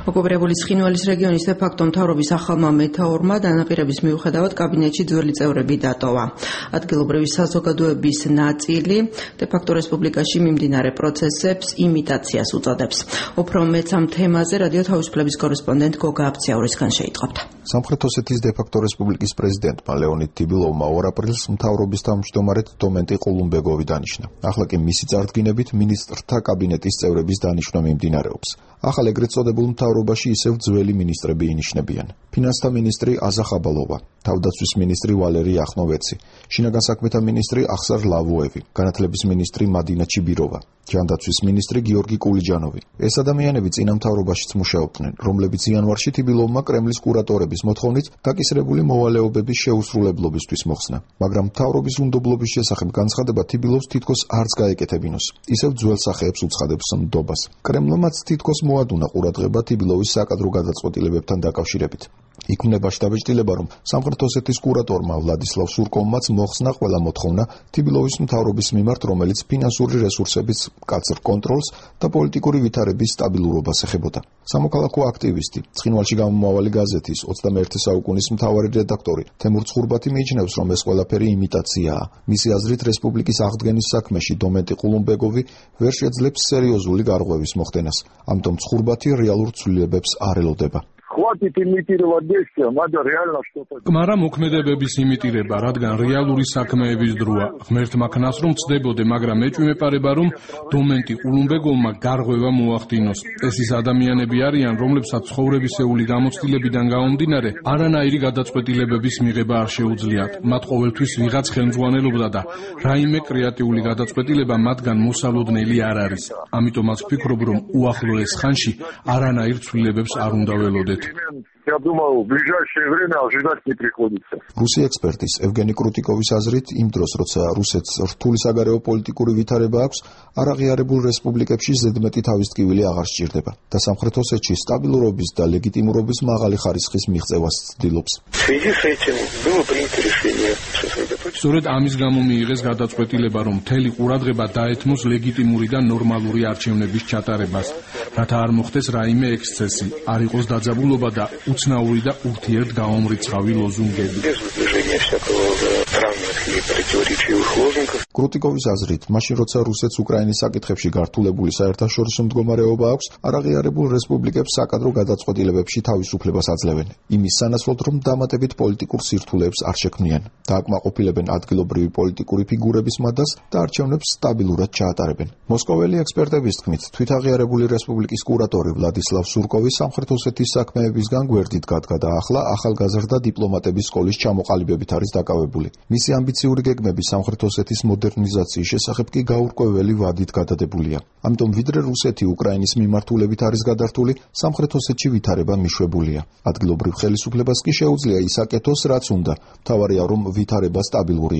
ოკუპირებული ცხინვალის რეგიონის დე-ფაქტო მთავრობის ახალმა მეთაურმა დანაპირების მიუხედავად კაბინეტში ძველი წევრები დატოვა. ადგილობრივი საზოგადოების ნაწილი დე-ფაქტო რესპუბლიკაში მიმდინარე პროცესებს იმიტაციას უწოდებს. უფრო მეც ამ თემაზე რადიო თავისუფლების კორესპონდენტ გოგა აბციაურისგან შეიტყობთ. სამხრეთ ოსეთის დე-ფაქტო რესპუბლიკის პრეზიდენტმა ლეონიდ ტიბილოვმა 2 აპრილს მთავრობის თავმჯდომარედ დომენტი ყულუმბეგოვი დანიშნა. ახლა კი მისი წარდგინებით მინისტრთა კაბინეტის წევრების დანიშვნა მიმდინარეობს. ახალ ეგრეთ წოდებულ მთავრობაში ისევ ძველი მინისტრები ინიშნებიან. ფინანსთა მინისტრი აზა ხაბალოვა, თავდაცვის მინისტრი ვალერი ახნოვეცი, შინაგან საქმეთა მინისტრი ახსარ ლავუევი, განათლების მინისტრი მადინა ჩიბიროვა, ჯანდაცვის მინისტრი გიორგი კულიჯანოვი. ეს ადამიანები წინა მთავრობაშიც მუშაობდნენ, რომლებიც იანვარში ტიბილოვმა კრემლის კურატორების მოთხოვნით დაკისრებული მოვალეობების შეუსრულებლობისთვის მოხსნა. მაგრამ მთავრობის უნდობლობის შესახებ განცხადება ტიბილოვს თითქოს არც გაეკეთებინოს. ისევ ძველ სახეებს უცხადებს ნდობას. კრემლმაც თითქოს მოადუნა ყურადღება ტიბილოვის საკადრო გადაწყვეტილებებთან დაკავშირებით. იქმნება შტაბ-ჭრილება, რომ სამხრეთ ოსეთის კურატორმა ვლადისლავ სურკოვმაც მოხსნა ყველა მოთხოვნა ტიბილოვის მთავრობის მიმართ, რომელიც ფინანსური რესურსების მკაცრ კონტროლს და პოლიტიკური ვითარების სტაბილურობას ეხებოდა. სამოქალაქო აქტივისტი, ცხინვალში გამომავალი გაზეთის 21 საუკუნის მთავარი რედაქტორი თემურ ცხურბათი მიიჩნევს, რომ ეს ყველაფერი იმიტაციაა. მისი აზრით, რესპუბლიკის აღდგენის საქმეში დომენტი ყულუმბეგოვი ვერ შეძლებს სერიოზული გარღვევის მოხდენას. ამიტომ ცხურბათი რეალურ ცვლილებებს არ ელოდება. კმარა მოქმედებების იმიტირება, რადგან რეალური საქმეების დროა. ღმერთმა ქნას რომ ცდებოდე, მაგრამ ეჭვი მეპარება, რომ დომენტი ყულუმბეგოვმა გარღვევა მოახდინოს. ეს ის ადამიანები არიან, რომლებსაც ცხოვრებისეული გამოცდილებიდან გამომდინარე არანაირი გადაწყვეტილებების მიღება არ შეუძლიათ. მათ ყოველთვის ვიღაც ხელმძღვანელობდა და რაიმე კრეატიული გადაწყვეტილება მათგან მოსალოდნელი არ არის. ამიტომაც ვფიქრობ, რომ უახლოეს ხანში არანაირ ცვლილებებს არ უნდა ველოდეთ. Я думаю, в ближайшее время ожидать не приходится. რუსი ექსპერტის ევგენი კრუტიკოვის აზრით, იმ დროს, როცა რუსეთს რთული საგარეო პოლიტიკური ვითარება აქვს, არაღიარებულ რესპუბლიკებში ზედმეტი თავისტკივილი აღარ სჭირდება და სამხრეთ ოსეთში სტაბილურობის და ლეგიტიმურობის მაღალი ხარისხის მიღწევას ცდილობს. სწორედ ამის გამო მიიღეს გადაწყვეტილება, რომ მთელი ყურადღება დაეთმოს ლეგიტიმური და ნორმალური არჩევნების ჩატარებას, რათა არ მოხდეს რაიმე ექსცესი, არ იყოს დაძაბულობა და უცნაური და ურთიერთგამომრიცხავი ლოზუნგები. კრუტიკოვის აზრით, მაშინ როცა რუსეთს უკრაინის საკითხებში გართულებული საერთაშორისო მდგომარეობა აქვს, არაღიარებულ რესპუბლიკებს საკადრო გადაწყვეტილებებში თავისუფლებას აძლევენ. იმის სანაცვლოდ, რომ დამატებით პოლიტიკურ სირთულეებს არ შექმნიან. დააკმაყოფილებენ ადგილობრივი პოლიტიკური ფიგურების მადას და არჩევნებს სტაბილურად ჩაატარებენ. მოსკოველი ექსპერტების თქმით, თვითაღიარებული რესპუბლიკის კურატორი ვლადისლავ სურკოვი სამხრეთ ოსეთის საქმეებისგან გვერდით გადგა და ახლა ახალგაზრდა დიპლომატების სკოლის ჩამოყალიბებით არის დაკავებული. მისი ამბიციური გეგმები სამხრეთ ოსეთის მოდერნიზაციის შესახებ კი გაურკვეველი ვადით გადადებულია. ამიტომ ვიდრე რუსეთი უკრაინის მიმართულებით არის გადართული, სამხრეთ ოსეთში ვითარება მიშვებულია. ადგილობრივ ხელისუფლებას კი შეუძლია ის აკეთოს, რაც უნდა. მთავარია, რომ ვითარება სტაბილური